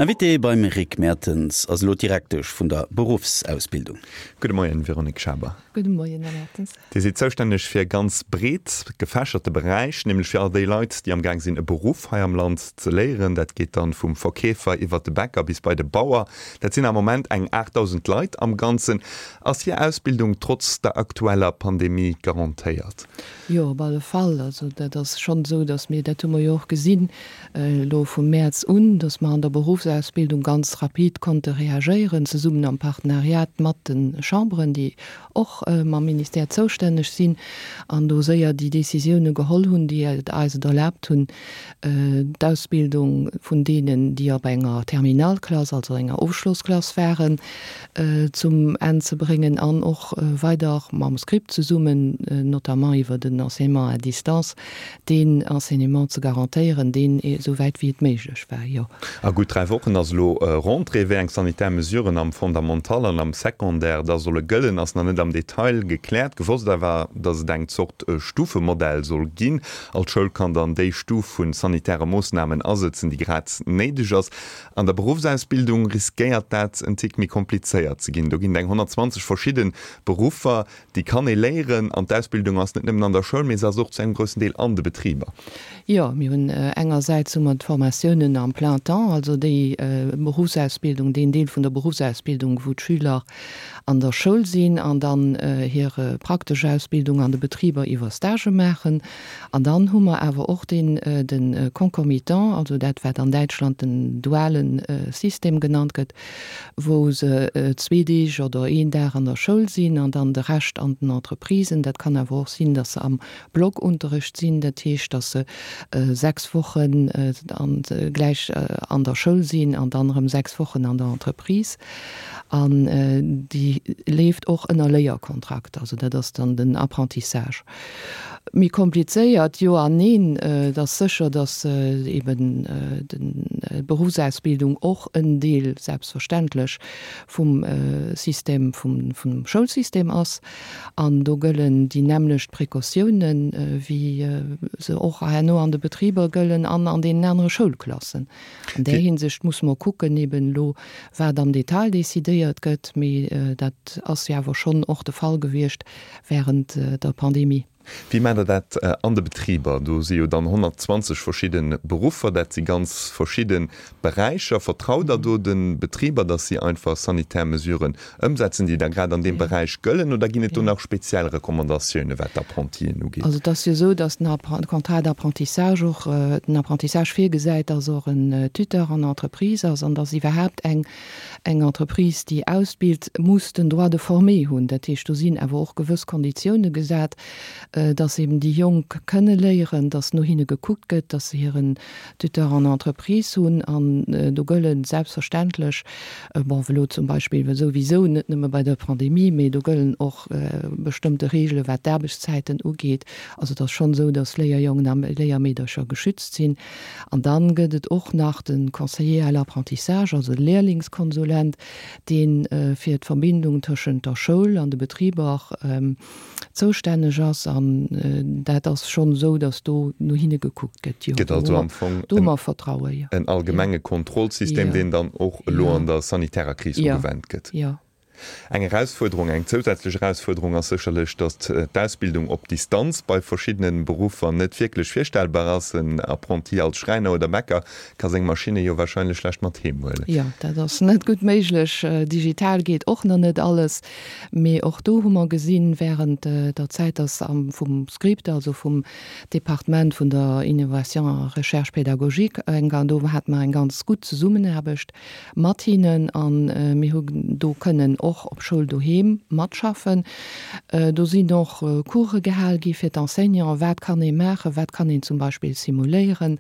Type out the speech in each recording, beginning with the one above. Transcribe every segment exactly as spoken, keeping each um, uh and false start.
Invitée beim Rick Mertens ass elo d'Direktesch vun der Beruffsausbildung. Gudde Moien, Véronique Schaber. Gudde Moien, Här Mertens. Dir sidd zoustänneg fir e ganz breet gefächerte Beräich, nämlech fir all déi Leit, déi am Gaang sinn, e Beruff hei am Land ze léieren. Dat geet dann vum Verkeefer iwwert de Bäcker bis bei de Bauer. Dat sinn am Moment eng aachtdausend Leit am Ganzen. Ass hir Ausbildung trotz der aktueller Pandemie garantéiert? Jo, op alle Fall. Also dat ass schonn esou, datt mir, dat hu mer jo och gesinn elo vum Mäerz un, datt mer an der Berufsausbildung ganz rapid konnte reagéieren, zesummen am Partenariat mat de Chamberen, déi och mam Ministère zoustänneg sinn, an do séier déi Décisioune geholl hunn, déi et eis et erlaabt hunn, d'Ausbildung vun deenen, déi op enger Terminalklass, also enger Ofschlossklass waren, zum Enn ze bréngen an och weider mam Script zesummen, notamment iwwer den Enseignement à distance, deen Enseignement ze garantéieren, deen esou wäit wéi et méiglech war, jo. A gutt dräi Wochen ass elo Rentrée. Wéi eng sanitär Mesuren am Fondamental an am Secondaire da solle gëllen, ass nach net am Detail gekläert. Gewosst awer, datt et eng Zort Stufemodell soll ginn. All Schoul kann dann déi Stuf vu sanitäre Moossnamen asëtzen, déi grad néideg ass. An der Beruffsausbildung riskéiert dat en Tick méi komplizéiert ze ginn. Do ginn et eng honnertzwanzeg verschidde Beruffer, déi kann ee léieren. An d'Ausbildung ass net nëmmen an der Schoul, mee se ass och zu engem groussen Deel an de Betriber. Jo, mir hunn engersäits hu mer d'Formatiounen am plein temps, also déi Beruffsausbildung, deen Deel vun der Beruffsausbildung, wou d'Schüler an der Schoul sinn an dann hir praktesch Ausbildung an de Betriber iwwer Stagë maachen. An dann hu mer awer och deen, de concomitant, also dat wat an Däitschland den duale System genannt gëtt, wou se zwee Deeg oder een Dag an der Schoul sinn an dann de Rescht an den Entreprisen. Dat kann awer och sinn, dass se am Blockunterricht sinn, dat heescht, dass se sechs Wochen gläich an der Schoul sinn an dann erëm sechs Wochen an der Entreprise. An déi leeft och ënner Léierkontrakt, also dat ass dann den Apprentissage. Méi komplizéiert, jo an neen. Et ass sécher, dass eben d'Berufsausbildung och en Deel selbstverständlech vum System, vum Schoulsystem ass. An do gëllen déi nämmlecht Precautiounen, wéi se och herno an de Betriber gëllen an an deenen anere Schoulklassen. An där Hinsicht muss mer kucken eben elo, wat am Detail decidéiert gëtt, mee dat ass jo awer schonn och de Fall gewiescht während der Pandemie. Wéi maacht Der dat an de Betriber? Do si jo dann honnertzwanzeg verschidde Beruffer, dat si ganz verschidde Beräicher. Vertraut Der do de Betriber, datt si einfach sanitär Mesuren ëmsetzen, déi da grad an deem Beräich gëllen, oder ginn et do nach speziell Recommandatioune wat d'Apprentien ugeet? Also et ass jo esou, datt den Contrat d'apprentissage och den Apprentissage virgesäit, datt och en Tuteur an Entreprise ass an datt iwwerhaapt eng eng Entreprise, déi ausbilt, muss den Droit de former hunn. Dat heescht, do sinn awer och gewëss Konditioune gesat, dass eben déi Jonk kënne léieren, dass no hinne gekuckt gëtt, dass se hiren Tuteur en entreprise hunn. An do gëlle selbstverständlech, bon, elo zum Beispill souwisou, net nëmme bei der Pandemie, mee do gëllen och bestëmmte Reegele wat d'Aarbechtszäiten ugeet. Also et ass schonn esou, dass Léierjongen a Léiermeedercher geschützt sinn. An dann gëtt et och nach de Conseiller à l'apprentissage, also de Lehrlingskonsulent, dee fir d'Verbindung tëschent der Schoul an de Betriber zoustänneg ass. An dat ass schonn esou, datt do no hinne gekuckt gëtt. Jo, Gëtt also am Fong do hu mer Vertrauen, jo. en allgemenge Kontrollsystem, deen dann och elo an der sanitärer Kris ugewennt gëtt. Jo. Eng Erausfuerderung, eng zousätzlech Erausfuerderung ass sécherlech, datt d'Ausbildung op Distanz bei verschiddene Beruffer net wierklech virstellbar ass. En Apprenti als Schräiner oder Bäcker ka seng Maschinne jo warscheinlech schlecht mat heem huelen. Jo, dat ass net gutt méiglech. Digital geet och nach net alles. Mee och do hu mer gesinn, während der Zäit, dass am vum Script, also vum Departement vun der Innovation a Recherche pédagogique, eng, do hate mer eng ganz gutt Zesummenaarbecht mat hinnen a mir hu do kënnen och op Schoul doheem matschaffen. Do sinn och Course gehal gi fir d'Enseignanten, wat kann ee maachen, wat kann een zum Beispill simuléieren,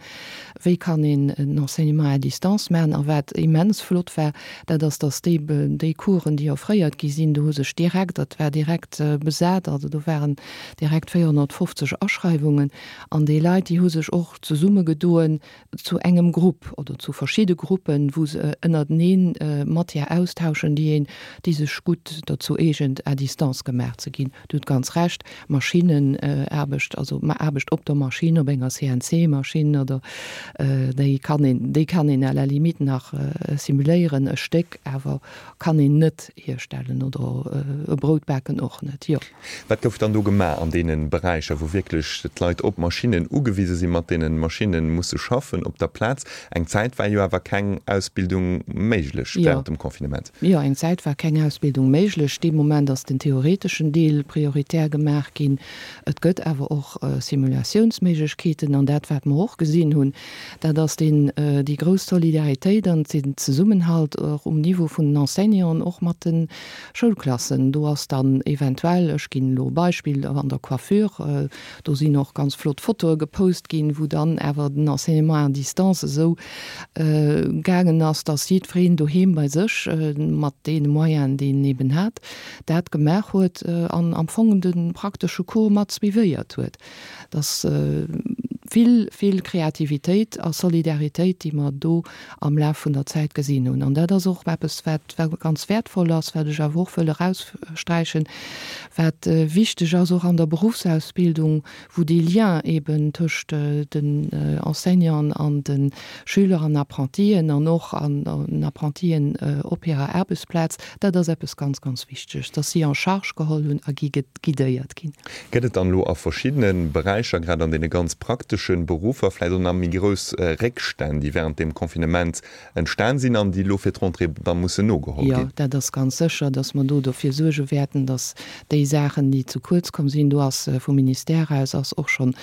wéi kann een en Enseignement à distance maachen. A wat immens flott war, dat ass, dass déi, déi Coursen, déi offréiert gi sinn, do hu sech direkt, dat war direkt besat, also do waren direkt véierhonnertfofzeg Aschreiwungen an déi Leit, déi hu sech och zesummegedoen zu engem Grupp oder zu verschidde Gruppen, wou se ënnerteneen Matière austauschen, déi een, déi sech sech gutt dozou eegent, à distance gemaach ze ginn. Dir hutt ganz Recht, Maschinnenaarbecht, also Aarbecht op der Maschinn, op enger C N C-Maschinn oder déi kann een, déi kann een à la limite nach simuléieren e Stéck, awer kann een net hierstellen oder e Brout baken och net, jo. Wat gouf dann do gemaach an deene Beräicher, wou wierklech d'Leit op Maschinnen ugewise sinn, mat deene Maschinne musse schaffen op der Plaz? Eng Zäit war jo awer keng Ausbildung méiglech während dem Confinement. Jo, eng Zäit war keng Ausbildung méiglech. Dee Moment ass den theoreteschen Deel prioritär gemaach ginn. Et gëtt awer och Simulatiounsméiglechkeeten. An dat, wat mer och gesinn hunn, dat ass deen, déi grouss Solidaritéit an den Zesummenhalt och um Niveau vun den Enseignanten, och mat de Schoulklassen. Do ass dann eventuell, ech ginn elo e Beispill, an der Coiffure, do sinn och ganz flott Fotoe gepost ginn, wou dann awer den Enseignement à distance esou gaangen ass, dass jiddwereen doheem bei sech mat deene Moyenen, déi en eben hat, dat gemaach huet an am Fong de praktesche Cours mat suivéiert huet. Dass vill, vill Kreativitéit a Solidaritéit, déi mer do am Laf vun der Zäit gesinn hunn. An dat ass och eppes, wat ganz wäertvoll ass, wat ech awer och wëll eraussträichen, wat wichteg ass och an der Berufsausbildung, wou dee Lien eben tëscht den Enseignanten an de Schüler an Apprentien an och an den Apprentien op hirer Aarbechtsplaz, dat ass eppes ganz, ganz Wichteges, dass si en charge geholl hunn a gi guidéiert ginn. Gëtt et dann elo a verschiddene Beräicher, grad an deene ganz praktesche Beruffer, vläicht och nach méi grouss Réckstänn, déi während deem Confinement entstan sinn an déi elo fir d'Rentrée da mussen nogeholl Jo, ginn? dat ass ganz sécher, dass mer do dofir suerge wäerten, dass déi Saachen, déi ze kuerz komm sinn, do ass vum Ministère aus ass och schonn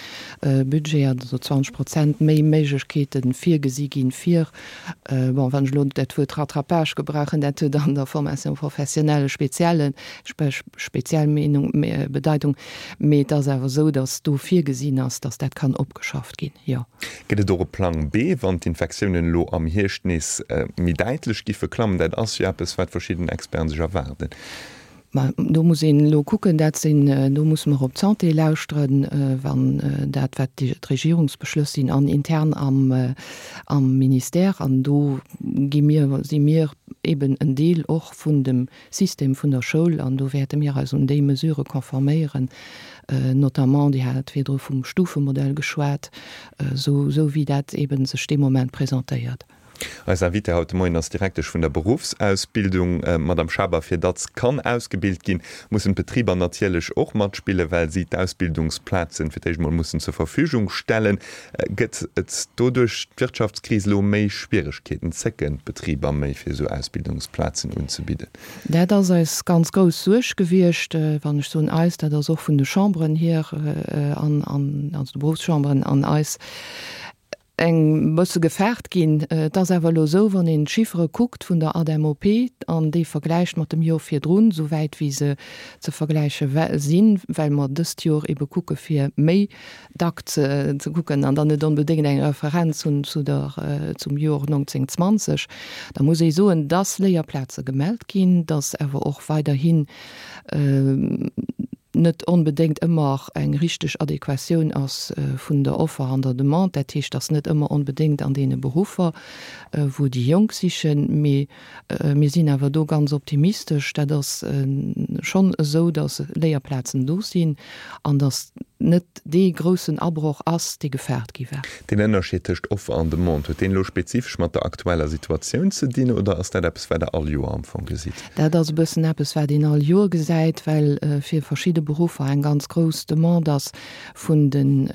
Budget, also zwanzeg Prozent méi Méiglechkeete virgesi ginn, fir, bon, wann ech elo dat Wuert Rattrapage gebrauchen, dat huet an der Formation professionnelle e spezielle, speziell Meenung, Bedeitung, mee et ass awer esou, dass do virgesinn ass, dass dat kann opgeschafft ginn, jo. Gëtt et och e Plang B, wann d'Infektiounen elo am Hierscht nees méi däitlech giffe klammen? Dat ass jo eppes, wat verschidden Experten sech erwaarden. Ma do muss een elo kucken, dat sinn, do musse mer op d'Santé lauschteren, wann dat, wat d'Regierungsbeschlëss sinn an intern am, am Ministère, an do gi mir, si mir eben en Deel och vun dem System vun der Schoul an do wäerte mir eis un déi Mesurë konforméieren, notamment, Dir hat virdru vum Stufemodell geschwat, esou, esou wéi dat eben sech dee Moment presentéiert. Eis Invitée haut de Moien ass d'Direktesch vun der Beruffsausbildung. Madame Schaber, fir datt kann ausgebilt ginn, mussen d'Betriber natierlech och matspillen, well si d'Ausbildungsplazen fir d'éischt mol mussen zur Verfügung stellen. Gëtt et do duerch d'Wirtschaftskris elo méi Schwieregkeeten? Zécken d'Betriber méi, fir esou Ausbildungsplazen unzebidden? Dat ass eis ganz grouss Suerg gewiescht. Wann ech soen eis, dat ass och vun de Chamberen hier, an, also de Beruffschamberen an eis, eng bësse gefaart ginn. Et ass awer elo esou, wann een d'Chiffere kuckt vun der ADEM-O P an déi vergläicht mat dem Jor virdrun, souwäit wéi se ze vergläiche sinn, well mer dëst Jor ebe kucke fir méi dack ze kucken an dann net onbedéngt eng Referenz hunn zu der, zum Jor neunzehnhundertzwanzeg, da muss ee soen, dass Léierplaze gemellt ginn, dass awer och weiderhin net onbedéngt ëmmer eng richteg Adequatioun ass vun der Offer an der Demande. Dat heescht, dass net ëmmer onbedéngt an deene Beruffer, wou déi Jonk sichen. Mee mir sinn awer do ganz optimistesch. Dat ass schonn esou, dass Léierplazen do sinn an dass net dee groussen Abroch ass, dee gefaart gi war. Deen Ënnerscheed tëscht Offer an Demande, huet deen elo spezifesch mat der aktueller Situatioun ze dinn oder ass dat eppes, wat Der all Joer am Fong gesitt? Dat ass e bëssen eppes, wat een all Joer gesäit, well fir verschidde Beruffer eng ganz grouss Demande ass vun den,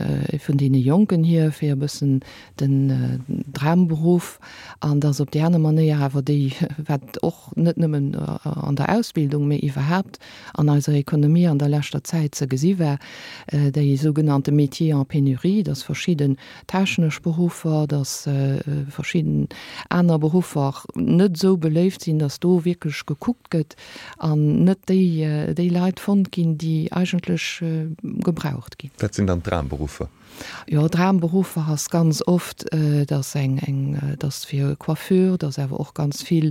vun deene Jonken hier, fir e bëssen den Dramberuff, an dass op déi aner Manéier awer déi, wat och net nëmmen an der Ausbildung, mee iwwerhaapt an eiser Ekonomie an der leschter Zäit ze gesi war, déi sougenannte Métiers en pénurie, dass verschidden technesch Beruffer, dass verschidden aner Beruffer net esou beléift sinn, dass do wierklech gekuckt gëtt an net déi, déi Leit fonnt ginn, déi eigentlech gebraucht ginn. Wat sinn dann d'Dramberuffer? Jo, Dramberuffer ass ganz oft, dass eng, eng, dass fir Coiffure, dass awer och ganz vill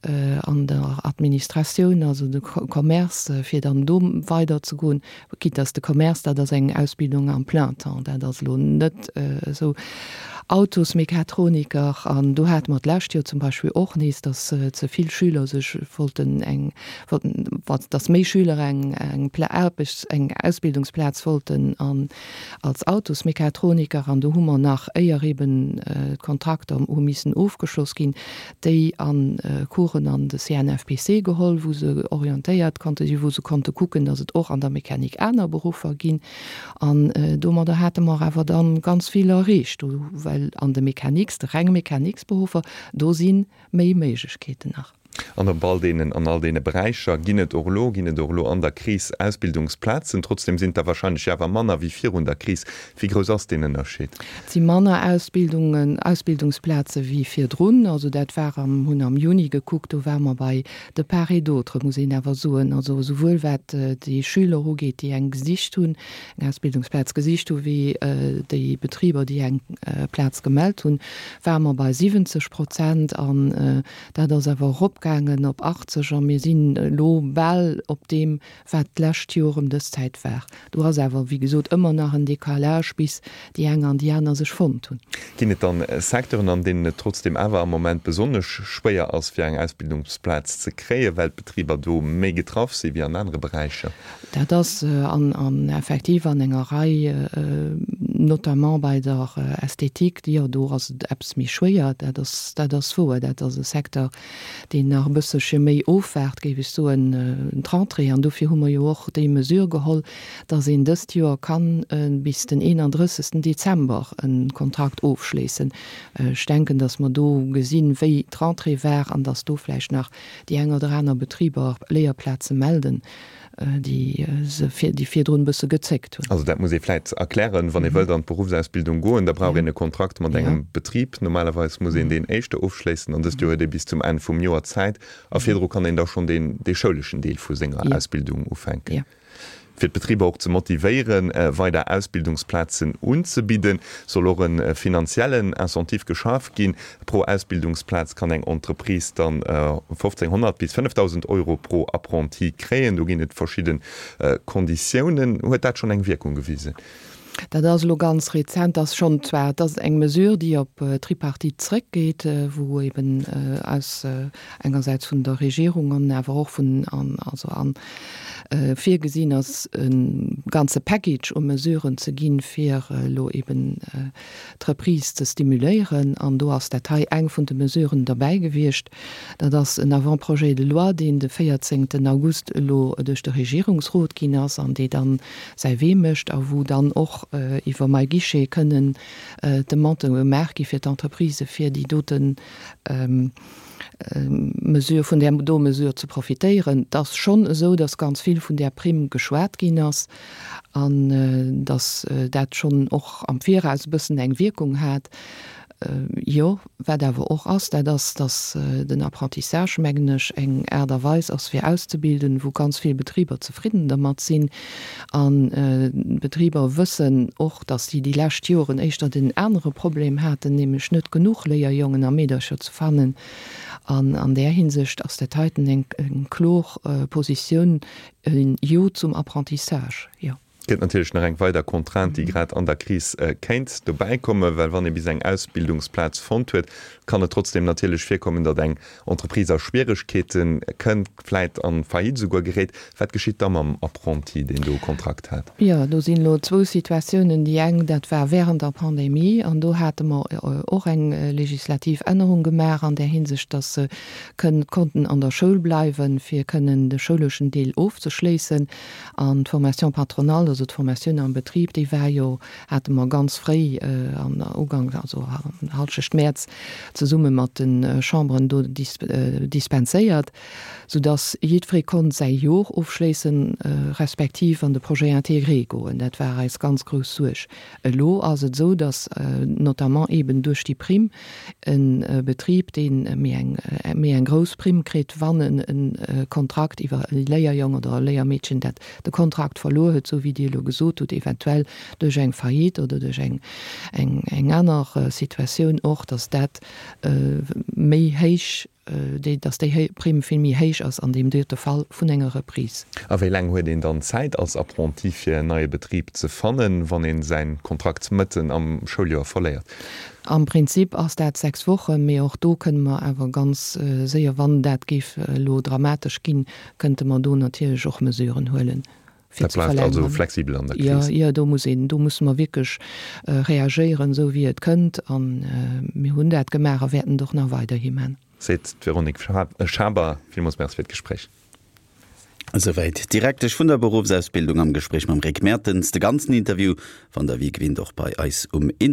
an der Administratioun, also de Commerce, fir dann do weider ze goen, quitte dass de Commerce, dat ass eng Ausbildung am plein temps, dat ass elo net esou. Autosmechatroniker. An do hate mer d'lescht Joer zum Beispill och nees, dass ze vill Schüler sech wollten eng, wollten, dass méi Schüler eng, eng Aarbechts-, eng Ausbildungsplaz wollten an als Autosmechatroniker. An do hu mer nach, éier eben d'Kontrakter hu missen ofgeschloss ginn, déi an Coursen an de C N F P C geholl, wou se orientéiert konnte sinn, wou se konnte kucken, dass et och an der Mechanik aner Beruffer ginn. An domadder hate mer awer dann ganz vill erreecht, well an de Mechaniks, de renge Mechaniksberuffer, do si méi Méiglechkeeten nach. An op all deenen, an all deene Beräicher ginn et och elo, ginn et och elo an der Kris Ausbildungsplazen. Trotzdem sinn et der wahrscheinlech awer manner wéi virun der Kris. Wéi grouss ass deen Ënnerscheed? Et si manner Ausbildungen, Ausbildungsplaze wéi virdrun. Also dat war am, hunn am Juni gekuckt, do ware mer bei de part et d'autre, muss een awer soen. Also souwuel wat déi Schüler ugeet, déi eng gesicht hunn, eng Ausbildungsplaz gesicht hu wéi déi Betriber, déi eng Plaz gemellt hunn, ware mer bei siwwenzeg Prozent an dat ass awer eropgaangen op achtzeg a mir sinn elo bal op deem, wat d'lescht Joer ëm dës Zäit war. Do ass awer, wéi gesot, ëmmer nach en Décalage, bis déi eng an déi aner sech fonnt hunn. Ginn et dann Secteuren, an deenen et trotzdem awer am Moment besonnesch schwéier ass, fir eng Ausbildungsplaz ze kréien, well d'Betriber do méi getraff si wéi an anere Beräicher? Dat ass an effektiv an enger Rei, notamment bei der Ästhetik, jo, do ass et eppes méi schwéier, dat ass, dat ass wouer. Dat ass e Secteur, deen nach e bësselche méi ofwaart, géif ech soen, d'Rentrée. An dofir hu mer jo och déi Mesure geholl, dass een dëst Joer kann bis den eenandrëssegsten Dezember e Kontrakt ofschléissen. Ech denken, dass mer do gesinn, wéi d'Rentrée war an dass do vläicht nach déi eng oder aner Betriber Léierplaze melden, déi se vir, déi virdrun e bësse gezéckt hunn. Also dat muss ee vläit erklären, wann ee wëllt an d'Beruffsausbildung goen, da brauch een e Kontrakt mat engem Betrib. Normalerweis muss een deen éischter ofschléissen an dëst Joer huet ee bis zum Enn vum Joer Zäit a virdru kann een da schonn deen, dee schouleschen Deel vu senger Ausbildung ufänken. Fir d'Betriber och ze motivéieren, weider Ausbildungsplazen unzebidden, soll och e finanziellen Incentive geschaf ginn. Pro Ausbildungsplaz kann eng Entreprise dann fofzénghonnert bis fënnefdausend Euro pro Apprenti kréien. Do ginn et verschidde Konditiounen. Huet dat schonn eng Wierkung gewisen? Dat ass elo ganz rezent, ass schonn zwar, dat ass eng Mesure, déi op d'Tripartite zréckgeet, wou eben aus engersäits vun der Regierung an awer och vun, an, also an virgesinn ass, e ganze Package u Mesuren ze ginn, fir elo eben d'Reprise ze stimuléieren. An do ass dat hei eng vun de Mesuren derbäi gewiescht. Dat ass en Avant-projet de loi, deen de véierzéngten August elo duerch de Regierungsrot ginn ass an dee dann säi Wee mécht a wou dann och iwwer MyGuichet kënnen Demandë gemaach gi fir d'Entreprisë fir déi doten Mesure, vun där do Mesure ze profitéieren. Et ass schonn esou, datt ganz vill vun där Primm geschwat ginn ass an datt dat schonn och am Viraus e bëssen eng Wierkung hat. Jo, wat awer och ass, dat ass, datt den Apprentissage, mengen ech, eng Aart a Weis ass fir auszebilden, wou ganz vill Betriber zefridden dermat sinn. An d'Betriber wëssen och, datt si déi lescht Joren éischter den anere Problem haten, nämlech net genuch Léierjongen a Meedercher ze fannen. An an där Hinsicht ass dat heiten eng kloer Positioun, e Jo zum Apprentissage, jo. Gëtt natierlech nach eng weider Contrainte, déi grad an der Kris kéint dobäi kommen, well wann ee bis eng Ausbildungsplaz fonnt huet, kann et trotzdeem natierlech virkommen, datt eng Entreprise a Schwieregkeete kënnt, vläit an Faillite esouguer geréit. Wat geschitt da mam Apprenti, deen do e Kontrakt hat? Jo, do sinn elo zwou Situatiounen. Déi eng, dat war während der Pandemie, an do hate mer och eng legislativ Ännerung gemaach an där Hinsicht, datt se kënnen, konnten an der Schoul bleiwen, fir kënnen de schouleschen Deel ofzeschléissen. An d'Formation patronale, also d'Formatioun am Betrib, déi war jo, hate mer ganz fréi an Ugank, also Halschecht Mäerz, zesumme mat de Chamberen do dispenséiert, soudass jiddweree konnt säi Jor ofschléissen, respektiv an de Projet intégré goen. Dat war eis ganz grouss Suerg. Elo ass et esou, dass notamment eben duerch déi Primm e Betrib, dee méi eng, méi eng grouss Primm kritt, wann en e Kontrakt iwwer e Léierjong oder e Léiermeedchen, dat de Kontrakt verluer huet, esou wéi Dir elo gesot hutt, eventuell duerch eng Faillite oder duerch eng, eng, eng aner Situatioun och, dass dat méi héich déi, dass déi Primm vill méi héich ass an deem dote Fall vun enger Reprise. A wéi laang huet een dann Zäit als Apprenti fir en neie Betrib ze fannen, wann een säin Kontrakt mëtten am Schouljoer verléiert? Am Prinzip ass dat sechs Wochen, mee och do kënne mer awer ganz séier, wann dat géif elo dramatesch ginn, kënnte mer do natierlech och Mesuren huelen, fir ze verlängeren. Dat bleift also flexibel an der Kris? Jo, jo, do muss een, do musse mer wierklech reagéieren, esou wéi et kënnt. A mir hunn dat gemaach a wäerten et och nach weiderhi man. Seet d'Véronique Schaber. Villmools Merci fir d'Gespréich. Esouwäit d'Direktesch vun der Beruffsausbildung am Gespréich mam Rick Mertens. De ganzen Interview fannt der wéi gewinnt och bei eis um Internet.